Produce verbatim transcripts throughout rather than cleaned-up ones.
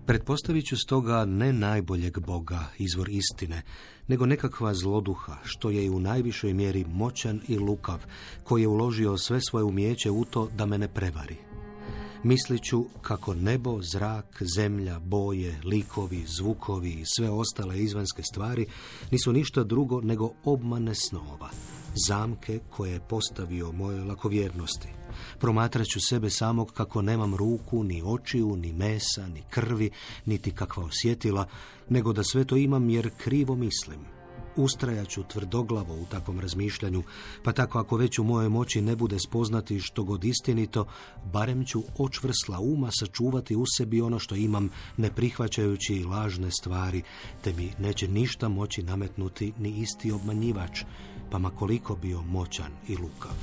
Pretpostavit ću stoga ne najboljeg Boga, izvor istine, nego nekakva zloduha, što je i u najvišoj mjeri moćan i lukav, koji je uložio sve svoje umijeće u to da me ne prevari. Mislit ću kako nebo, zrak, zemlja, boje, likovi, zvukovi i sve ostale izvanjske stvari nisu ništa drugo nego obmane snova, zamke koje je postavio mojoj lakovjernosti. Promatrat ću sebe samog kako nemam ruku, ni očiju, ni mesa, ni krvi, niti kakva osjetila, nego da sve to imam jer krivo mislim. Ustrajat ću tvrdoglavo u takvom razmišljanju, pa tako ako već u mojoj moći ne bude spoznati što god istinito, barem ću očvrsla uma sačuvati u sebi ono što imam, ne prihvaćajući lažne stvari, te mi neće ništa moći nametnuti ni isti obmanjivač, pa ma koliko bio moćan i lukav.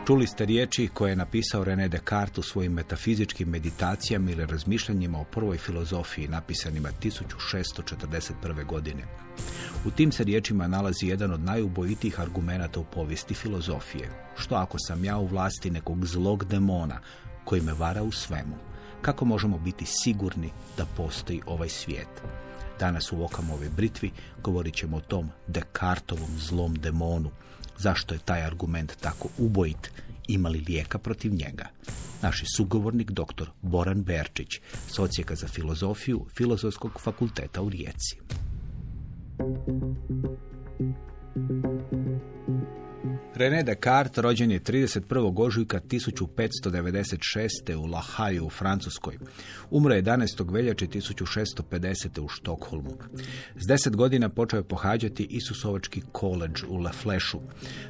Čuli ste riječi koje je napisao René Descartes u svojim metafizičkim meditacijama ili razmišljanjima o prvoj filozofiji napisanima tisuću šesto četrdeset prve. godine. U tim se riječima nalazi jedan od najubojitijih argumenata u povijesti filozofije. Što ako sam ja u vlasti nekog zlog demona koji me vara u svemu? Kako možemo biti sigurni da postoji ovaj svijet? Danas u Okamove britvi govorit ćemo o tom Descartovom zlom demonu. Zašto je taj argument tako ubojit? Ima li lijeka protiv njega? Naš je sugovornik doktor Boran Berčić, s Odsjeka za filozofiju Filozofskog fakulteta u Rijeci. René Descartes rođen je trideset prvog ožujka tisuću petsto devedeset šeste. u La Hayu u Francuskoj. Umro je jedanaestog veljače tisuću šesto pedesete. u Štokholmu. S deset godina počeo je pohađati Isusovački koledž u La Flešu.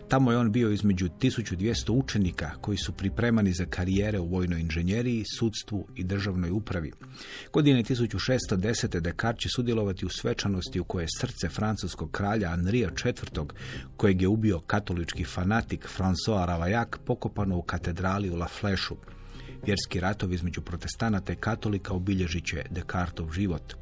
Tamo je on bio između tisuću dvjesto učenika koji su pripremani za karijere u vojnoj inženjeriji, sudstvu i državnoj upravi. Godine tisuću šesto desete. Descartes će sudjelovati u svečanosti u kojoj je srce francuskog kralja Henrija četvrtog. kojeg je ubio katolički fanatik François Ravaillac, pokopano u katedrali u La Flešu. Vjerski ratovi između protestanata i katolika obilježit će Descartov život.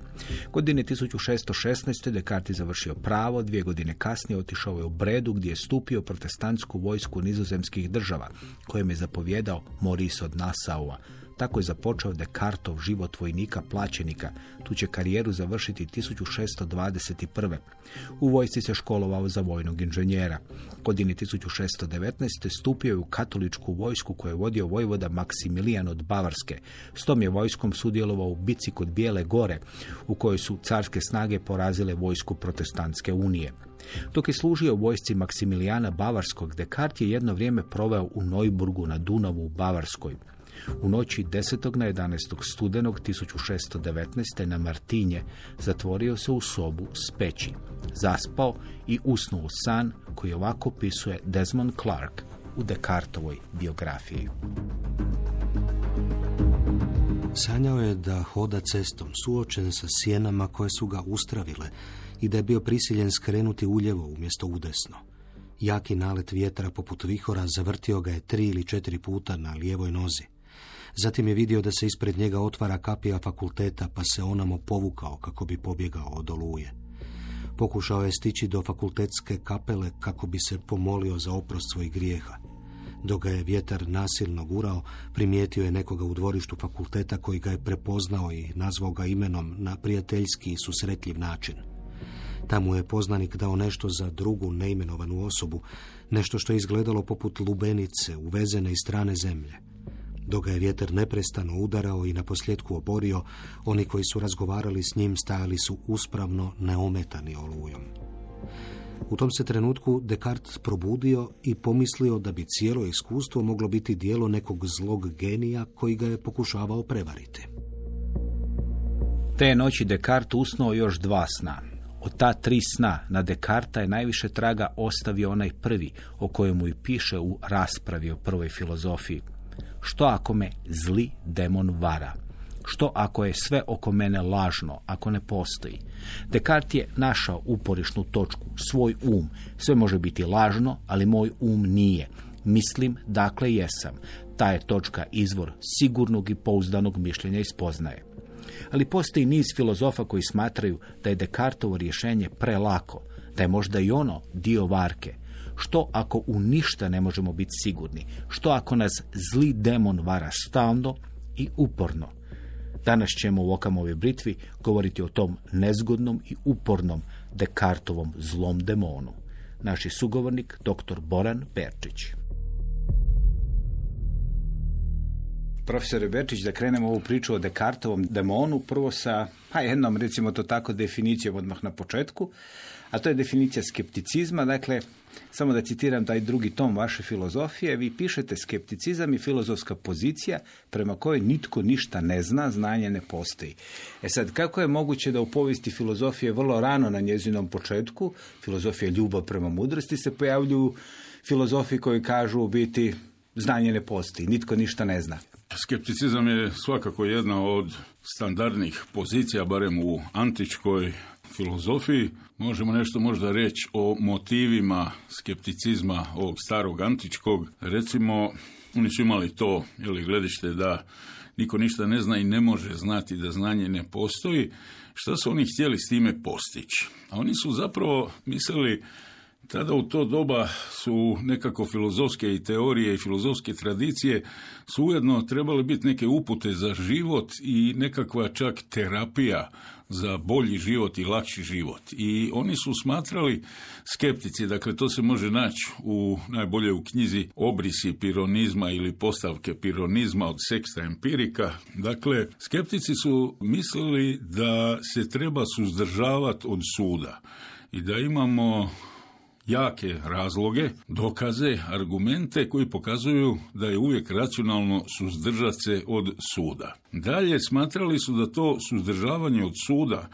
Godine tisuću šesto šesnaeste. Descartes je završio pravo, dvije godine kasnije otišao je u Bredu gdje je stupio protestantsku vojsku nizozemskih država, kojem je zapovjedao Maurice od Nassaua. Tako je započeo Descartov život vojnika plaćenika. Tu će karijeru završiti tisuću šesto dvadeset prve. U vojsci se školovao za vojnog inženjera. Godine tisuću šesto devetnaeste. stupio je u katoličku vojsku koju je vodio vojvoda Maksimilijan od Bavarske. S tom je vojskom sudjelovao u bici kod Bijele gore, u kojoj su carske snage porazile vojsku protestantske unije. Dok je služio u vojsci Maksimilijana Bavarskog, Descartes je jedno vrijeme proveo u Neuburgu na Dunavu u Bavarskoj. U noći desetog na jedanaestog studenog tisuću šesto devetnaeste. na Martinje zatvorio se u sobu s peći. Zaspao i usnuo u san koji ovako opisuje Desmond Clark u Descartovoj biografiji. Sanjao je da hoda cestom suočen sa sjenama koje su ga ustravile i da je bio prisiljen skrenuti uljevo umjesto udesno. Jaki nalet vjetra poput vihora zavrtio ga je tri ili četiri puta na lijevoj nozi. Zatim je vidio da se ispred njega otvara kapija fakulteta, pa se onamo povukao kako bi pobjegao od oluje. Pokušao je stići do fakultetske kapele kako bi se pomolio za oprost svojih grijeha. Dok ga je vjetar nasilno gurao, primijetio je nekoga u dvorištu fakulteta koji ga je prepoznao i nazvao ga imenom na prijateljski i susretljiv način. Tamo je poznanik dao nešto za drugu neimenovanu osobu, nešto što je izgledalo poput lubenice uvezene iz strane zemlje. Dok ga je vjetar neprestano udarao i naposljetku oborio, oni koji su razgovarali s njim stajali su uspravno neometani olujom. U tom se trenutku Descartes probudio i pomislio da bi cijelo iskustvo moglo biti dijelo nekog zlog genija koji ga je pokušavao prevariti. Te noći Descartes usnuo još dva sna. Od ta tri sna na Descartesa je najviše traga ostavio onaj prvi, o kojemu i piše u raspravi o prvoj filozofiji. Što ako me zli demon vara? Što ako je sve oko mene lažno, ako ne postoji? Descartes je našao uporišnu točku, svoj um. Sve može biti lažno, ali moj um nije. Mislim, dakle jesam. Ta je točka izvor sigurnog i pouzdanog mišljenja i spoznaje. Ali postoji niz filozofa koji smatraju da je Descartovo rješenje prelako, da je možda i ono dio varke. Što ako u ništa ne možemo biti sigurni? Što ako nas zli demon vara stalno i uporno? Danas ćemo u Okamovoj britvi govoriti o tom nezgodnom i upornom Descartovom zlom demonu. Naš je sugovornik doktor Boran Perčić. Profesore Berčić, da krenemo ovu priču o Descartovom demonu, prvo sa, pa jednom, recimo to tako, definicijom odmah na početku, a to je definicija skepticizma. Dakle, samo da citiram taj drugi tom vaše filozofije, vi pišete: skepticizam je filozofska pozicija prema kojoj nitko ništa ne zna, znanje ne postoji. E sad, kako je moguće da u povijesti filozofije vrlo rano na njezinom početku, filozofija ljubav prema mudrosti, se pojavljuju filozofi koji kažu u biti znanje ne postoji, nitko ništa ne zna? Skepticizam je svakako jedna od standardnih pozicija, barem u antičkoj filozofiji. Možemo nešto možda reći o motivima skepticizma ovog starog antičkog. Recimo, oni su imali to, ili gledište da niko ništa ne zna i ne može znati da znanje ne postoji. Šta su oni htjeli s time postići? A oni su zapravo mislili, tada u to doba su nekako filozofske i teorije i filozofske tradicije su ujedno trebale biti neke upute za život i nekakva čak terapija za bolji život i lakši život. I oni su smatrali, skeptici, dakle to se može naći u najbolje u knjizi Obrisi pironizma ili Postavke pironizma od Sexta Empirika. Dakle, skeptici su mislili da se treba suzdržavati od suda i da imamo jake razloge, dokaze, argumente koji pokazuju da je uvijek racionalno suzdržati se od suda. Dalje, smatrali su da to suzdržavanje od suda,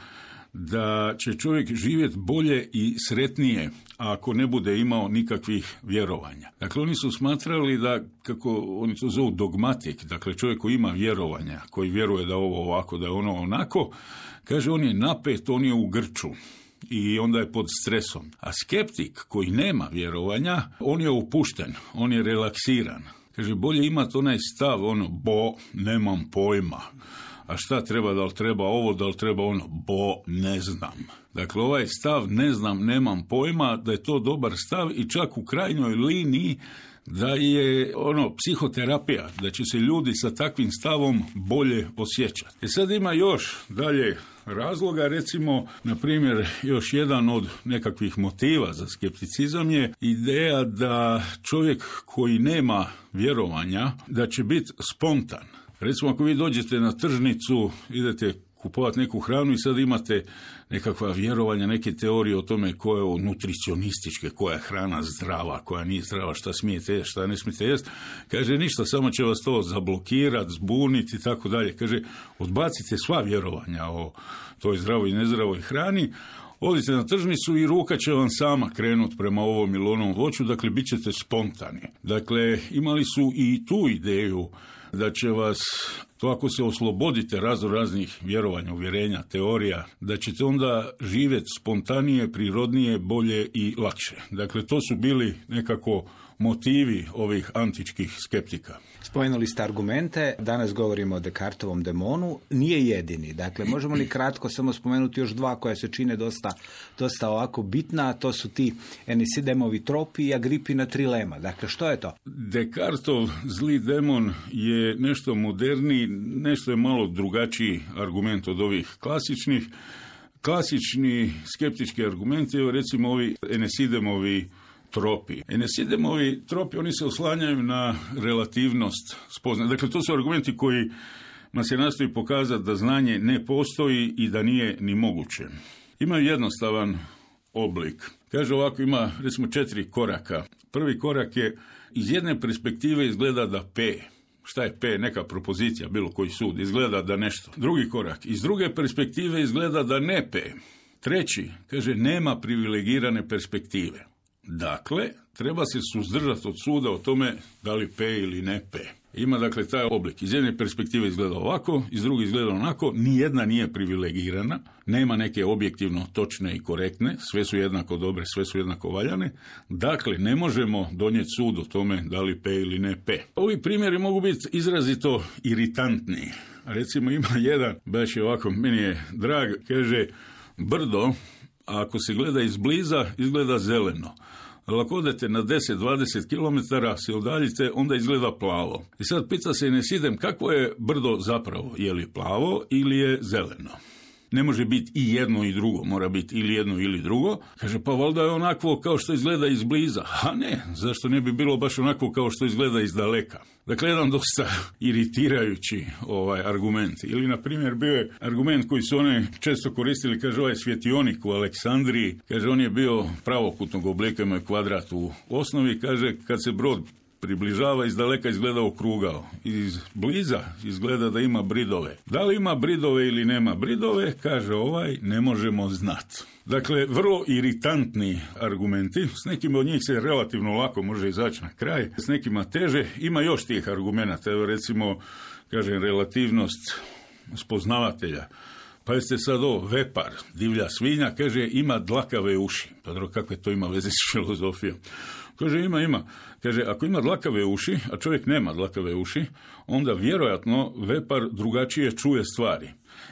da će čovjek živjeti bolje i sretnije ako ne bude imao nikakvih vjerovanja. Dakle, oni su smatrali da, kako oni to zovu dogmatik, dakle čovjek koji ima vjerovanja, koji vjeruje da ovo ovako, da je ono onako, kaže on je napet, on je u grču i onda je pod stresom. A skeptik koji nema vjerovanja, on je opušten, on je relaksiran. Kaže, bolje imati onaj stav, ono, bo, nemam pojma. A šta treba, da li treba ovo, da li treba ono, bo, ne znam. Dakle, ovaj stav, ne znam, nemam pojma, da je to dobar stav i čak u krajnjoj liniji da je ono psihoterapija, da će se ljudi sa takvim stavom bolje osjećati. E sad ima još dalje razloga, recimo, na primjer, još jedan od nekakvih motiva za skepticizam je ideja da čovjek koji nema vjerovanja, da će biti spontan. Recimo, ako vi dođete na tržnicu, idete kupovati neku hranu i sad imate nekakva vjerovanja, neke teorije o tome koje je nutricionističke, koja je hrana zdrava, koja nije zdrava, šta smijete jesti, šta ne smijete jesti. Kaže, ništa, samo će vas to zablokirati, zbuniti i tako dalje. Kaže, odbacite sva vjerovanja o toj zdravoj i nezdravoj hrani, odite na tržnicu i ruka će vam sama krenuti prema ovom ili onom voću, dakle, bit ćete spontani. Dakle, imali su i tu ideju da će vas, to ako se oslobodite razno raznih vjerovanja, uvjerenja, teorija, da ćete onda živjeti spontanije, prirodnije, bolje i lakše. Dakle, to su bili nekako motivi ovih antičkih skeptika. Spomenuli ste argumente, danas govorimo o Descartovom demonu, nije jedini. Dakle, možemo li kratko samo spomenuti još dva koja se čine dosta, dosta ovako bitna, a to su ti Enisidemovi tropi i Agripina trilema. Dakle, što je to? Descartov zli demon je nešto moderniji, nešto je malo drugačiji argument od ovih klasičnih. Klasični skeptički argumenti, evo recimo ovi Enesidemovi tropi. Enesidemovi tropi, oni se oslanjaju na relativnost spoznaje. Dakle, to su argumenti koji nam se nastoji pokazati da znanje ne postoji i da nije ni moguće. Imaju jednostavan oblik. Kaže ovako, ima recimo četiri koraka. Prvi korak je, iz jedne perspektive izgleda da P, šta je P, neka propozicija, bilo koji sud, izgleda da nešto. Drugi korak, iz druge perspektive izgleda da ne P. Treći, kaže, nema privilegirane perspektive. Dakle, treba se suzdržati od suda o tome da li P ili ne P. Ima dakle taj oblik. Iz jedne perspektive izgleda ovako, iz druge izgleda onako, nijedna nije privilegirana, nema neke objektivno točne i korektne, sve su jednako dobre, sve su jednako valjane. Dakle, ne možemo donijeti sud o tome da li P ili ne P. Ovi primjeri mogu biti izrazito iritantni. Recimo ima jedan, baš je ovako, meni je drag, kaže, brdo, a ako se gleda izbliza, izgleda zeleno. ali ako odete na deset do dvadeset kilometara se udaljite, onda izgleda plavo. I sad pita se Nesidem kakvo je brdo zapravo, je li plavo ili je zeleno? Ne može biti i jedno i drugo, mora biti ili jedno ili drugo. Kaže, pa valjda je onako kao što izgleda izbliza. A ne, zašto ne bi bilo baš onako kao što izgleda iz daleka? Dakle, jedan dosta iritirajući ovaj argument. Ili, na primjer, bio je argument koji su oni često koristili, kaže, ovaj svjetionik u Aleksandriji, kaže, on je bio pravokutnog oblika, ima je kvadrat u osnovi, kaže, kad se brod približava, iz daleka izgleda okrugao. Iz bliza izgleda da ima bridove. Da li ima bridove ili nema bridove, kaže ovaj, ne možemo znati. Dakle, vrlo iritantni argumenti, s nekim od njih se relativno lako može izaći na kraj, s nekima teže. Ima još tih argumenata, evo recimo, kažem, relativnost spoznavatelja. Pa jeste sad ovo, vepar, divlja svinja, kaže, ima dlakave uši. Pa dobro, kakve to ima veze s filozofijom? Kaže, ima, ima. Kaže, ako ima dlakave uši, a čovjek nema dlakave uši, onda vjerojatno vepar drugačije čuje stvari.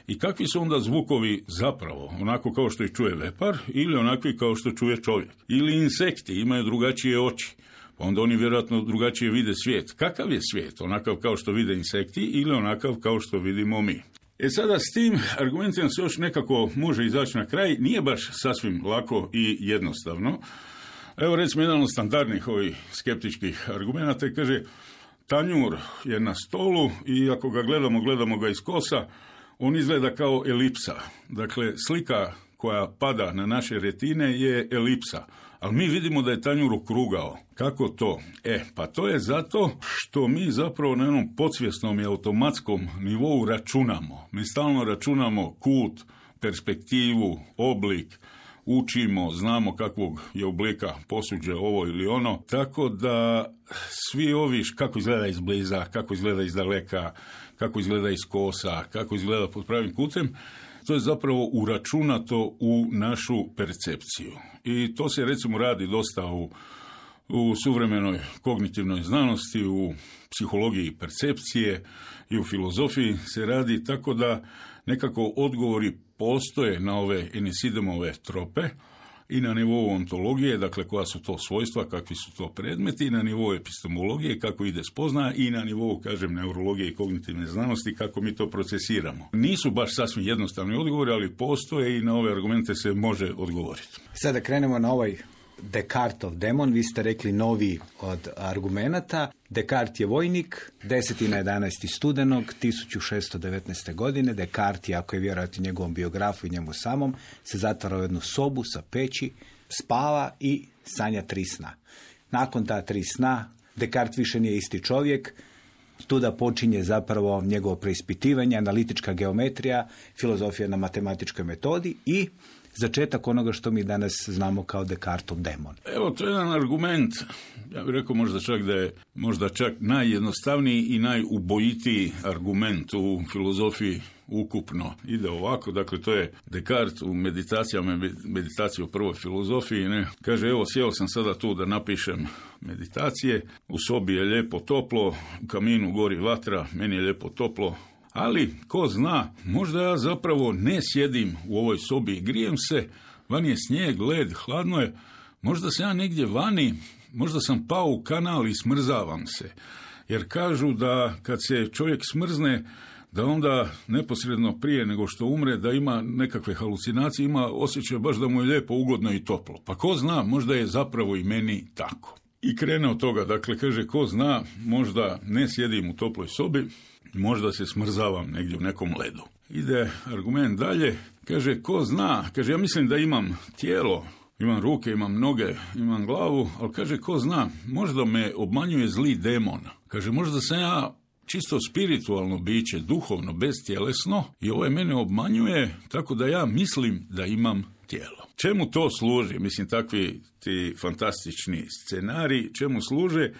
I kakvi su onda zvukovi zapravo? Onako kao što ih čuje vepar ili onakvi kao što čuje čovjek? Ili insekti imaju drugačije oči, pa onda oni vjerojatno drugačije vide svijet. Kakav je svijet? Onakav kao što vide insekti ili onakav kao što vidimo mi? E sada s tim argumentima se još nekako može izaći na kraj. Nije baš sasvim lako i jednostavno. Evo recimo jedan od standardnih ovih skeptičkih argumenata kaže, tanjur je na stolu i ako ga gledamo, gledamo ga iz kosa, on izgleda kao elipsa. Dakle, slika koja pada na naše retine je elipsa, ali mi vidimo da je tanjur okrugao. Kako to? E, pa to je zato što mi zapravo na jednom podsvjesnom i automatskom nivou računamo. Mi stalno računamo kut, perspektivu, oblik, učimo, znamo kakvog je oblika posuđe ovo ili ono, tako da svi ovi, kako izgleda izbliza, kako izgleda iz daleka, kako izgleda iz kosa, kako izgleda pod pravim kutem, to je zapravo uračunato u našu percepciju. I to se recimo radi dosta u, u suvremenoj kognitivnoj znanosti, u psihologiji percepcije i u filozofiji se radi tako da nekako odgovori postoje na ove Enesidemove trope i na nivou ontologije, dakle koja su to svojstva, kakvi su to predmeti, i na nivou epistemologije, kako ide spoznaja, i na nivou, kažem, neurologije i kognitivne znanosti, kako mi to procesiramo. Nisu baš sasvim jednostavni odgovori, ali postoje i na ove argumente se može odgovoriti. Sada krenemo na ovaj Descartov demon, vi ste rekli novi od argumenata. Descartes je vojnik, deseti na jedanaesti studenog tisuću šesto devetnaeste. godine. Descartes je, ako je vjerojatno njegovom biografu i njemu samom, se zatvara u jednu sobu sa peći, spava i sanja tri sna. Nakon ta tri sna, Descartes više nije isti čovjek, tuda počinje zapravo njegovo preispitivanje, analitička geometrija, filozofija na matematičkoj metodi i začetak onoga što mi danas znamo kao Descartov demon. Evo, to je jedan argument, ja bih rekao možda čak da je možda čak najjednostavniji i najubojitiji argument u filozofiji ukupno. Ide ovako, dakle to je Descartes u meditacijama, meditaciji o prvoj filozofiji, ne? Kaže, evo, sjeo sam sada tu da napišem meditacije, u sobi je lijepo toplo, u kaminu gori vatra, meni je lijepo toplo, ali, ko zna, možda ja zapravo ne sjedim u ovoj sobi i grijem se, vani je snijeg, led, hladno je, možda sam ja negdje vani, možda sam pao u kanal i smrzavam se. Jer kažu da kad se čovjek smrzne, da onda neposredno prije nego što umre, da ima nekakve halucinacije, ima osjećaj baš da mu je lijepo, ugodno i toplo. Pa ko zna, možda je zapravo i meni tako. I krene od toga, dakle, kaže, ko zna, možda ne sjedim u toploj sobi, možda se smrzavam negdje u nekom ledu. Ide argument dalje, kaže, ko zna, kaže, ja mislim da imam tijelo, imam ruke, imam noge, imam glavu, ali kaže, ko zna, možda me obmanjuje zli demon. Kaže, možda sam ja čisto spiritualno biće, duhovno, beztjelesno, i ovaj mene obmanjuje, tako da ja mislim da imam tijelo. Čemu to služi? Mislim, takvi ti fantastični scenariji, čemu služe?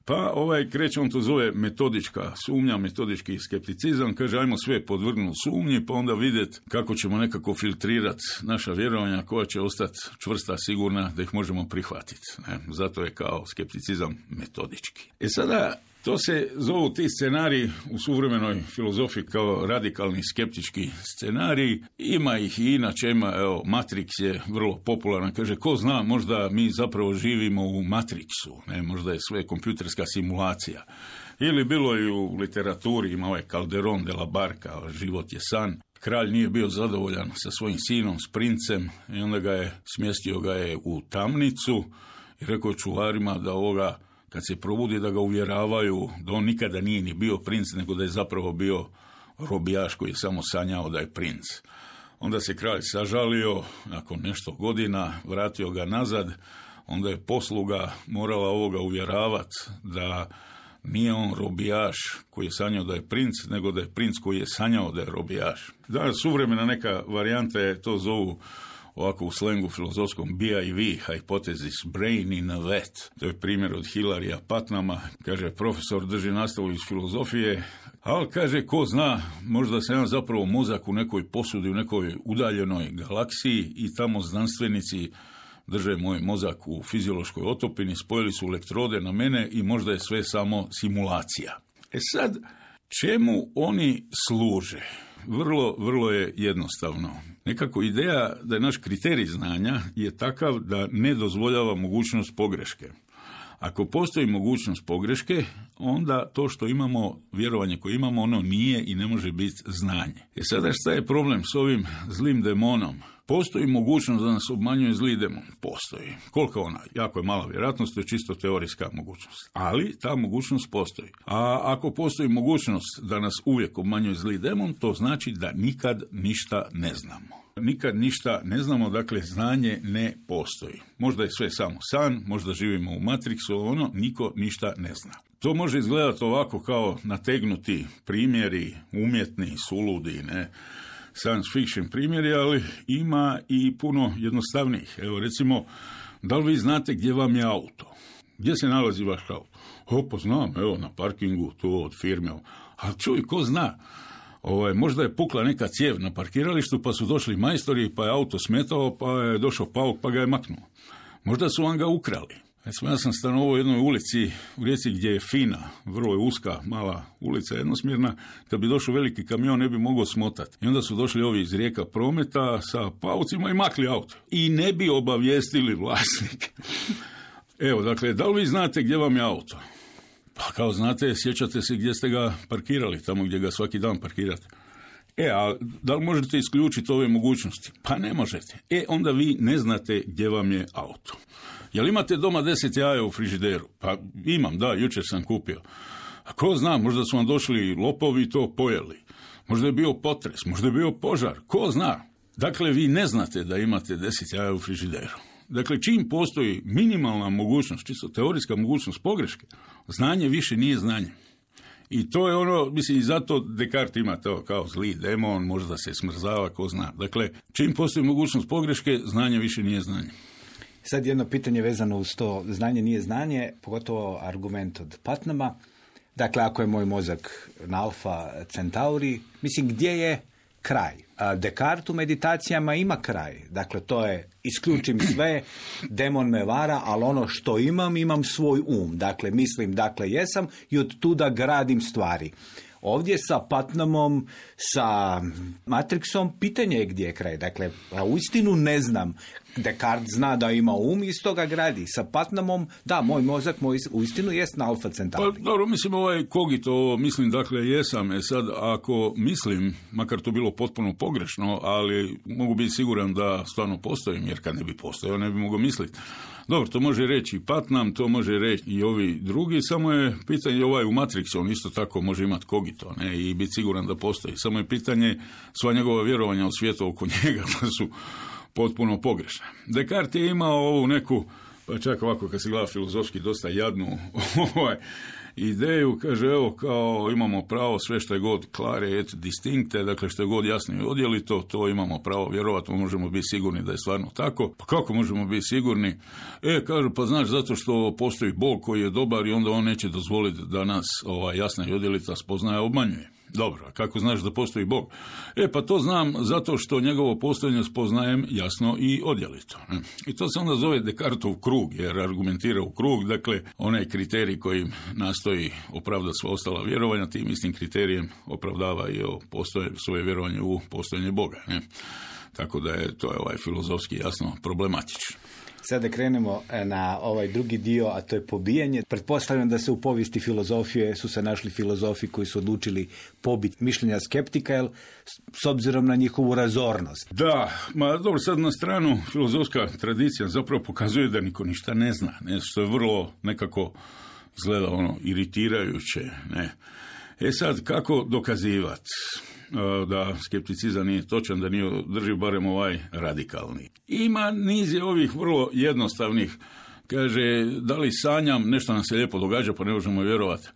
Pa ovaj kreće, on to zove metodička sumnja, metodički skepticizam, kaže, ajmo sve podvrgnuti sumnji, pa onda vidjeti kako ćemo nekako filtrirati naša vjerovanja koja će ostati čvrsta, sigurna, da ih možemo prihvatiti. Ne? Zato je kao skepticizam metodički. E sada, To se zovu ti scenariji u suvremenoj filozofiji kao radikalni skeptički scenariji. Ima ih i inače, ima, evo, Matrix je vrlo popularan. Kaže, ko zna, možda mi zapravo živimo u Matrixu, ne, možda je sve kompjuterska simulacija. Ili bilo i u literaturi, ima ovaj Calderon de la Barca, život je san. Kralj nije bio zadovoljan sa svojim sinom, s princem, i onda ga je, smjestio ga je u tamnicu i rekao čuvarima da ovoga, kad se probudi, da ga uvjeravaju da on nikada nije ni bio princ, nego da je zapravo bio robijaš koji je samo sanjao da je princ. Onda se kralj sažalio, nakon nešto godina vratio ga nazad, onda je posluga morala ovoga uvjeravati da nije on robijaš koji je sanjao da je princ, nego da je princ koji je sanjao da je robijaš. Danas suvremena neka varijanta je, to zovu ovako u slengu filozofskom B I V, hypothesis, brain in a vat. To je primjer od Hilarija Putnama. Kaže, profesor drži nastavu iz filozofije, ali kaže, ko zna, možda se ja zapravo mozak u nekoj posudi, u nekoj udaljenoj galaksiji i tamo znanstvenici drže moj mozak u fiziološkoj otopini, spojili su elektrode na mene i možda je sve samo simulacija. E sad, čemu oni služe? Vrlo, vrlo je jednostavno. Nekako ideja da je naš kriterij znanja je takav da ne dozvoljava mogućnost pogreške. Ako postoji mogućnost pogreške, onda to što imamo, vjerovanje koje imamo, ono nije i ne može biti znanje. E sada šta je problem s ovim zlim demonom? Postoji mogućnost da nas obmanjuje zli demon? Postoji. Koliko ona? Jako je mala vjerojatnost, to je čisto teorijska mogućnost. Ali ta mogućnost postoji. A ako postoji mogućnost da nas uvijek obmanjuje zli demon, to znači da nikad ništa ne znamo. Nikad ništa ne znamo, dakle znanje ne postoji. Možda je sve samo san, možda živimo u Matrixu, ono, niko ništa ne zna. To može izgledati ovako kao nategnuti primjeri, umjetni, suludi, ne, science fiction primjeri, ali ima i puno jednostavnijih. Evo recimo, da li vi znate gdje vam je auto? Gdje se nalazi vaš auto? O, pa znam, evo na parkingu, to od firme. Ali čuj, ko zna? Ovaj, možda je pukla neka cijev na parkiralištu, pa su došli majstori, pa je auto smetao, pa je došao pauk, pa ga je maknuo. Možda su vam ga ukrali. Recimo, ja sam stanovao u jednoj ulici u Rijeci gdje je fina, vrlo je uska, mala ulica, jednosmjerna. Kad bi došao veliki kamion, ne bi mogao smotati. I onda su došli ovi iz Rijeka prometa sa paucima i makli auto. I ne bi obavijestili vlasnike. Evo, dakle, da li vi znate gdje vam je auto? Pa kao znate, sjećate se gdje ste ga parkirali, tamo gdje ga svaki dan parkirate. E, a da li možete isključiti ove mogućnosti? Pa ne možete. E, onda vi ne znate gdje vam je auto. Jel imate doma deset jaja u frižideru? Pa imam, da, jučer sam kupio. A ko zna, možda su vam došli lopovi i to pojeli. Možda je bio potres, možda je bio požar, ko zna. Dakle, vi ne znate da imate deset jaja u frižideru. Dakle, čim postoji minimalna mogućnost, čisto teorijska mogućnost pogreške, znanje više nije znanje. I to je ono, mislim, i zato Descartes ima to kao zli demon, možda se smrzava, ko zna. Dakle, čim postoji mogućnost pogreške, znanje više nije znanje. Sad jedno pitanje vezano uz to, znanje nije znanje, pogotovo argument od Putnama. Dakle, ako je moj mozak na Alfa Centauri, mislim, gdje je kraj? Descartes u meditacijama ima kraj. Dakle, to je isključim sve, demon me vara, ali ono što imam, imam svoj um. Dakle, mislim, dakle, jesam i od tuda gradim stvari. Ovdje sa Putnamom, sa Matrixom, pitanje je gdje je kraj. Dakle, uistinu ne znam. Descartes zna da ima um i iz toga gradi. Sa Putnamom, da, moj mozak moj uistinu jest na Alfa Centauri. Pa dobro, mislim, ovaj kogito, mislim, dakle, jesam. E sad, ako mislim, makar to bilo potpuno pogrešno, ali mogu biti siguran da stvarno postojim, jer kad ne bi postojao, ne bi mogao misliti. Dobro, to može reći i Putnam, to može reći i ovi drugi, samo je pitanje ovaj u Matrixu, on isto tako može imati kogito, ne, i biti siguran da postoji. Samo je pitanje sva njegova vjerovanja u svijetu oko njega, pa su potpuno pogrešna. Descartes je imao ovu neku, pa čak ovako kad se gleda filozofski, dosta jadnu ovaj, ideju, kaže, evo, kao imamo pravo sve što je god klare et distinkte, dakle što je god jasno i odjelito, to imamo pravo vjerovati, možemo biti sigurni da je stvarno tako. Pa kako možemo biti sigurni? E, kažu, pa znaš, zato što postoji Bog koji je dobar i onda on neće dozvoliti da nas ova jasna i odjelita spoznaja obmanjuje. Dobro, a kako znaš da postoji Bog? E, pa to znam zato što njegovo postojanje spoznajem jasno i odjelito. I to se onda zove Descartov krug, jer argumentira u krug, dakle, onaj kriterij koji nastoji opravdati sva ostala vjerovanja, tim istim kriterijem opravdava i postoje, svoje vjerovanje u postojanje Boga. Ne? Tako da je to je ovaj filozofski jasno problematično. Sada krenemo na ovaj drugi dio, a to je pobijanje. Pretpostavljam da se u povijesti filozofije su se našli filozofi koji su odlučili pobiti mišljenja skeptika, jel, s obzirom na njihovu razornost. Da, ma dobro, sad na stranu filozofska tradicija zapravo pokazuje da niko ništa ne zna, ne, što je vrlo nekako izgleda ono iritirajuće. Ne. E sad, kako dokazivati da skepticizam nije točan, da nije drži barem ovaj radikalni? Ima niz je ovih vrlo jednostavnih. Kaže, da li sanjam, nešto nam se lijepo događa, pa ne možemo vjerovati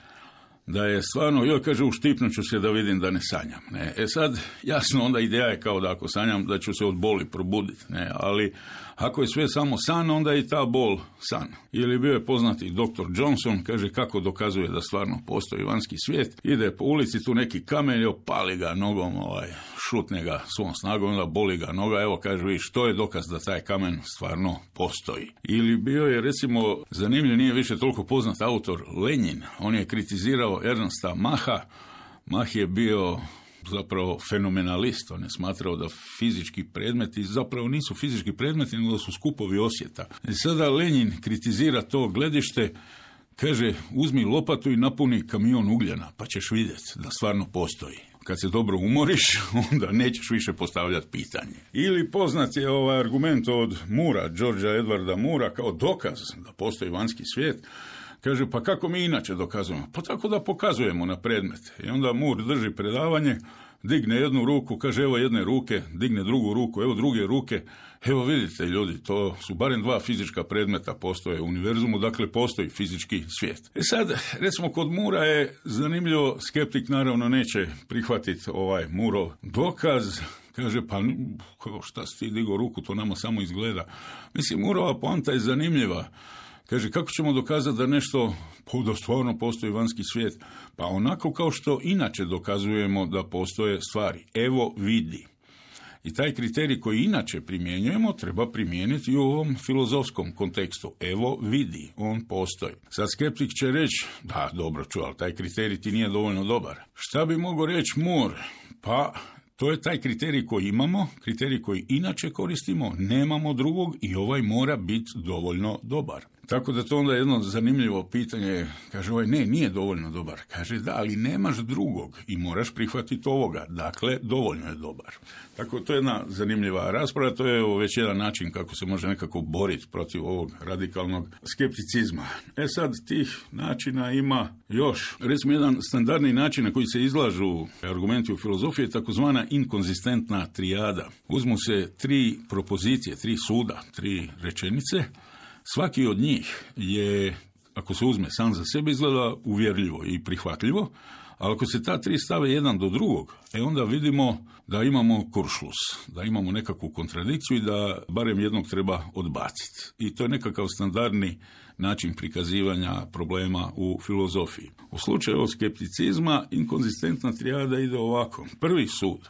da je stvarno, joj, kaže, uštipnut ću se da vidim da ne sanjam. Ne. E sad, jasno, onda ideja je kao da ako sanjam, da ću se od boli probuditi. Ne. Ali ako je sve samo san, onda je i ta bol san. Ili bio je poznati doktor Johnson, kaže, kako dokazuje da stvarno postoji vanjski svijet. Ide po ulici, tu neki kamen, opali ga nogom, ovaj, šutne ga svom snagom, onda boli ga noga, evo, kaže, viš, to je dokaz da taj kamen stvarno postoji. Ili bio je, recimo, zanimljiv, nije više toliko poznat autor Lenin, on je kritizirao Ernsta Macha. Mach je bio zapravo fenomenalist, on je smatrao da fizički predmeti zapravo nisu fizički predmeti, nego da su skupovi osjeta. I sada Lenin kritizira to gledište, kaže, uzmi lopatu i napuni kamion ugljena, pa ćeš vidjeti da stvarno postoji. Kad se dobro umoriš, onda nećeš više postavljati pitanje. Ili poznat je ovaj argument od Moora, Georgea Edwarda Moora, kao dokaz da postoji vanjski svijet. Kaže, pa kako mi inače dokazujemo? Pa tako da pokazujemo na predmete. I onda Moore drži predavanje, digne jednu ruku, kaže, evo jedne ruke, digne drugu ruku, evo druge ruke. Evo vidite, ljudi, to su barem dva fizička predmeta postoje u univerzumu, dakle postoji fizički svijet. E sad, recimo, kod Moora je zanimljivo, skeptik naravno neće prihvatiti ovaj Moorov dokaz. Kaže, pa šta si ti digao ruku, to nama samo izgleda. Mislim, Moorova poanta je zanimljiva. Kaže, kako ćemo dokazati da nešto, da stvarno postoji vanjski svijet? Pa onako kao što inače dokazujemo da postoje stvari. Evo vidi. I taj kriterij koji inače primjenjujemo treba primijeniti i u ovom filozofskom kontekstu. Evo vidi, on postoji. Sad skeptik će reći, da, dobro ču, ali taj kriterij ti nije dovoljno dobar. Šta bi mogao reći Moore? Pa to je taj kriterij koji imamo, kriterij koji inače koristimo, nemamo drugog i ovaj mora biti dovoljno dobar. Tako da to onda je jedno zanimljivo pitanje. Kaže, ovaj, ne, nije dovoljno dobar. Kaže, da, ali nemaš drugog i moraš prihvatiti ovoga. Dakle, dovoljno je dobar. Tako, to je jedna zanimljiva rasprava. To je već jedan način kako se može nekako boriti protiv ovog radikalnog skepticizma. E sad, tih načina ima još. Recimo, jedan standardni način na koji se izlažu argumenti u filozofiji je takozvana inkonzistentna trijada. Uzmu se tri propozicije, tri suda, tri rečenice. Svaki od njih je, ako se uzme sam za sebe, izgleda uvjerljivo i prihvatljivo, ali ako se ta tri stave jedan do drugog, e onda vidimo da imamo kuršlus, da imamo nekakvu kontradikciju i da barem jednog treba odbaciti. I to je nekakav standardni način prikazivanja problema u filozofiji. U slučaju skepticizma, inkonzistentna trijada ide ovako. Prvi sud,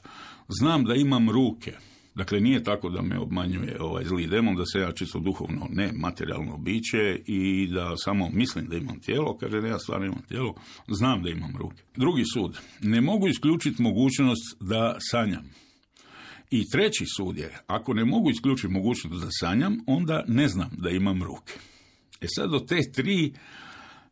znam da imam ruke. Dakle, nije tako da me obmanjuje ovaj zli demon, da se ja čisto duhovno ne materijalno biće i da samo mislim da imam tijelo. Kaže, ne, ja stvarno imam tijelo, znam da imam ruke. Drugi sud, ne mogu isključiti mogućnost da sanjam. I treći sud je, ako ne mogu isključiti mogućnost da sanjam, onda ne znam da imam ruke. E sad do te tri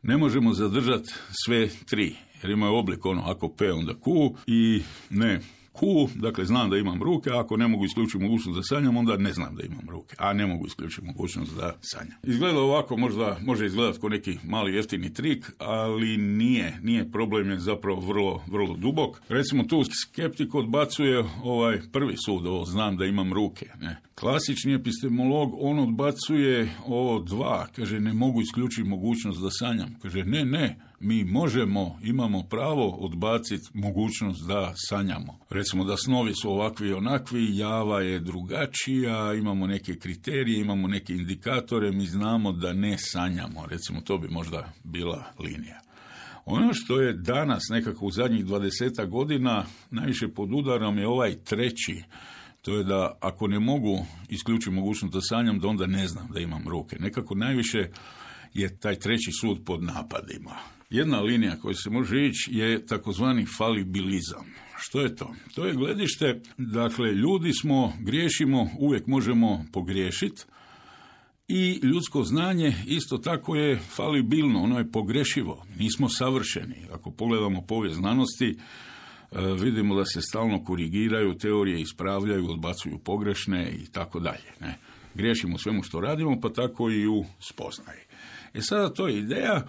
ne možemo zadržati sve tri, jer imaju oblik ono, ako P onda Q i ne Q, dakle znam da imam ruke, a ako ne mogu isključiti mogućnost da sanjam, onda ne znam da imam ruke, a ne mogu isključiti mogućnost da sanjam. Izgleda ovako, možda može izgledati kao neki mali jeftini trik, ali nije, nije problem, je zapravo vrlo, vrlo dubok. Recimo tu skeptik odbacuje ovaj prvi sud, ovo znam da imam ruke. Ne. Klasični epistemolog, on odbacuje ovo dva, kaže ne mogu isključiti mogućnost da sanjam. Kaže ne, ne, mi možemo, imamo pravo odbaciti mogućnost da sanjamo. Recimo da snovi su ovakvi i onakvi, java je drugačija, imamo neke kriterije, imamo neke indikatore, mi znamo da ne sanjamo. Recimo to bi možda bila linija. Ono što je danas nekako u zadnjih dvadesetak godina najviše pod udarom je ovaj treći. To je da ako ne mogu isključiti mogućnost da sanjam, da onda ne znam da imam ruke. Nekako najviše je taj treći sud pod napadima. Jedna linija koja se može ići je takozvani falibilizam. Što je to? To je gledište, dakle, ljudi smo, griješimo, uvijek možemo pogriješiti i ljudsko znanje isto tako je falibilno, ono je pogrešivo, nismo savršeni. Ako pogledamo povijest znanosti, vidimo da se stalno korigiraju, teorije ispravljaju, odbacuju pogrešne i tako dalje. Ne? Griješimo u svemu što radimo, pa tako i u spoznaji. E sada to je ideja,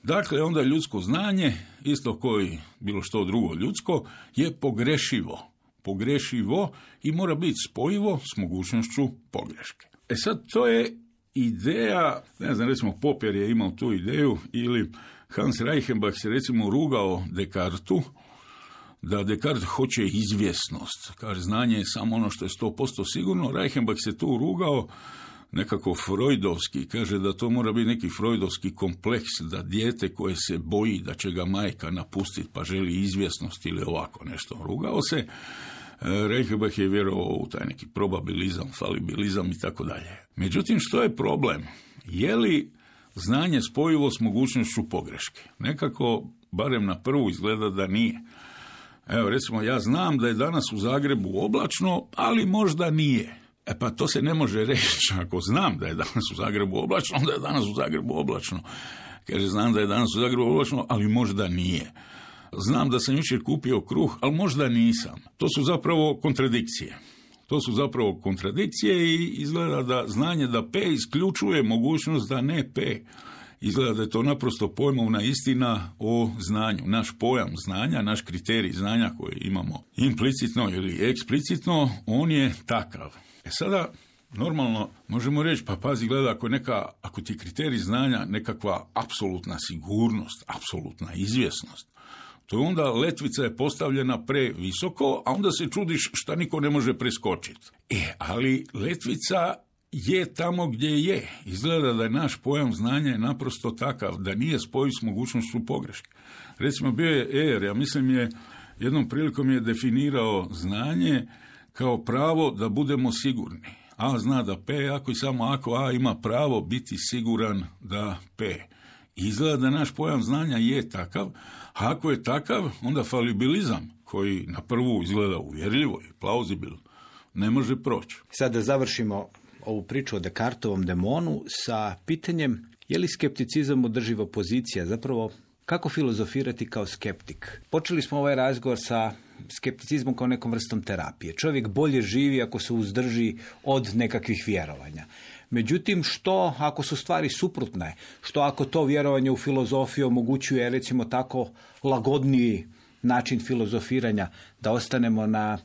dakle onda ljudsko znanje, isto koji bilo što drugo ljudsko, je pogrešivo. Pogrešivo i mora biti spojivo s mogućnošću pogreške. E sad to je ideja, ne znam, recimo Popper je imao tu ideju ili Hans Reichenbach se recimo rugao Descartesu, da Descartes hoće izvjesnost. Kaže, znanje je samo ono što je sto posto sigurno. Reichenbach se tu rugao nekako freudovski. Kaže da to mora biti neki freudovski kompleks, da dijete koje se boji da će ga majka napustiti pa želi izvjesnost ili ovako nešto. Rugao se. Reichenbach je vjerovao u taj neki probabilizam, falibilizam i tako dalje. Međutim, što je problem? Je li znanje spojivo s mogućnošću pogreške? Nekako, barem na prvu, izgleda da nije. Evo, recimo, ja znam da je danas u Zagrebu oblačno, ali možda nije. E pa to se ne može reći. Ako znam da je danas u Zagrebu oblačno, onda je danas u Zagrebu oblačno. Kaže, znam da je danas u Zagrebu oblačno, ali možda nije. Znam da sam jučer kupio kruh, ali možda nisam. To su zapravo kontradikcije. To su zapravo kontradikcije i izgleda da znanje da P isključuje mogućnost da ne P. Izgleda da je to naprosto pojmovna istina o znanju. Naš pojam znanja, naš kriterij znanja koji imamo implicitno ili eksplicitno, on je takav. E sada, normalno, možemo reći, pa pazi, gleda, ako, neka, ako ti je kriterij znanja nekakva apsolutna sigurnost, apsolutna izvjesnost, to je onda letvica je postavljena previsoko, a onda se čudiš šta niko ne može preskočiti. E, ali letvica je tamo gdje je. Izgleda da je naš pojam znanja je naprosto takav, da nije spojiv s mogućnošću pogreške. Recimo, bio je Er, ja mislim je, jednom prilikom je definirao znanje kao pravo da budemo sigurni. A zna da P, ako i samo ako A ima pravo biti siguran da P. Izgleda da naš pojam znanja je takav, a ako je takav, onda falibilizam, koji na prvu izgleda uvjerljivo i plauzibilno, ne može proći. Sad da završimo ovu priču o Descartovom demonu sa pitanjem je li skepticizam održiva pozicija, zapravo kako filozofirati kao skeptik. Počeli smo ovaj razgovor sa skepticizmom kao nekom vrstom terapije. Čovjek bolje živi ako se uzdrži od nekakvih vjerovanja. Međutim, što ako su stvari suprotne? Što ako to vjerovanje u filozofiju omogućuje, recimo tako, lagodniji način filozofiranja, da ostanemo na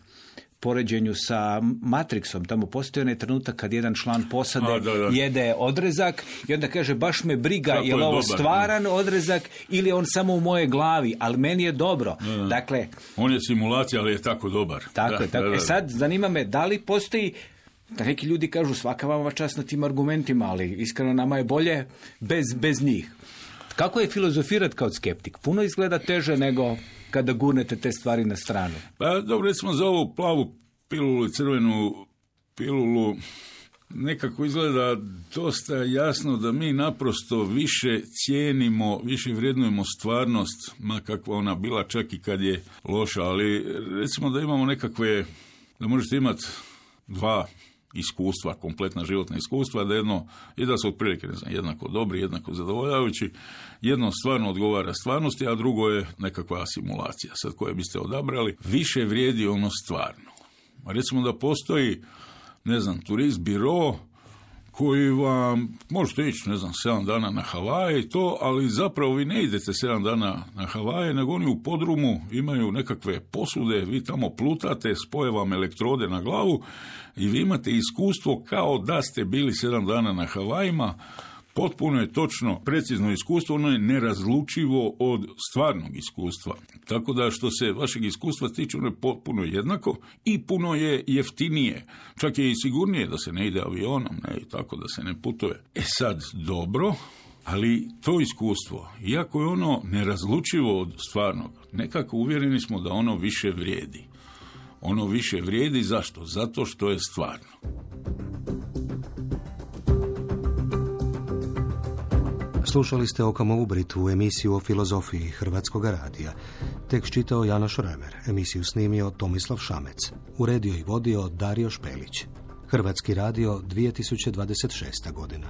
poređenju sa Matrixom. Tamo postoji onaj trenutak kad jedan član posade A, da, da. jede odrezak i onda kaže, baš me briga, je li ovo dobar, stvaran ne. odrezak ili je on samo u moje glavi, ali meni je dobro. Da, da. Dakle, on je simulacija, ali je tako dobar. Tako da, je, tako. Da, da. E sad, zanima me, da li postoji, da neki ljudi kažu, svaka vama čast na tim argumentima, ali iskreno nama je bolje bez, bez njih. Kako je filozofirati kao skeptik? Puno izgleda teže nego kada gurnete te stvari na stranu. Pa dobro, recimo za ovu plavu pilulu, crvenu pilulu, nekako izgleda dosta jasno da mi naprosto više cijenimo, više vrednujemo stvarnost, ma kakva ona bila, čak i kad je loša, ali recimo da imamo nekakve, da možete imati dva iskustva, kompletna životna iskustva, da jedno, i da su otprilike, ne znam, jednako dobri, jednako zadovoljavajući, jedno stvarno odgovara stvarnosti, a drugo je nekakva simulacija. Sad koje biste odabrali, više vrijedi ono stvarno. Recimo da postoji, ne znam, turist biro koji vam, možete ići, ne znam, sedam dana na Havaje i to, ali zapravo vi ne idete sedam dana na Havaje, nego oni u podrumu imaju nekakve posude, vi tamo plutate, spoje vam elektrode na glavu i vi imate iskustvo kao da ste bili sedam dana na Havajima. Potpuno je točno, precizno iskustvo, ono je nerazlučivo od stvarnog iskustva. Tako da što se vašeg iskustva tiče, ono je potpuno jednako i puno je jeftinije. Čak je i sigurnije da se ne ide avionom, ne, i tako da se ne putuje. E sad, dobro, Ali to iskustvo, iako je ono nerazlučivo od stvarnog, nekako uvjereni smo da ono više vrijedi. Ono više vrijedi zašto? Zato što je stvarno. Slušali ste Okamovu Britvu, emisiju o filozofiji Hrvatskog radija. Tekst čitao Janoš Remer, emisiju snimio Tomislav Šamec, uredio i vodio Dario Špelić. Hrvatski radio, dvije tisuće dvadeset šesta godina.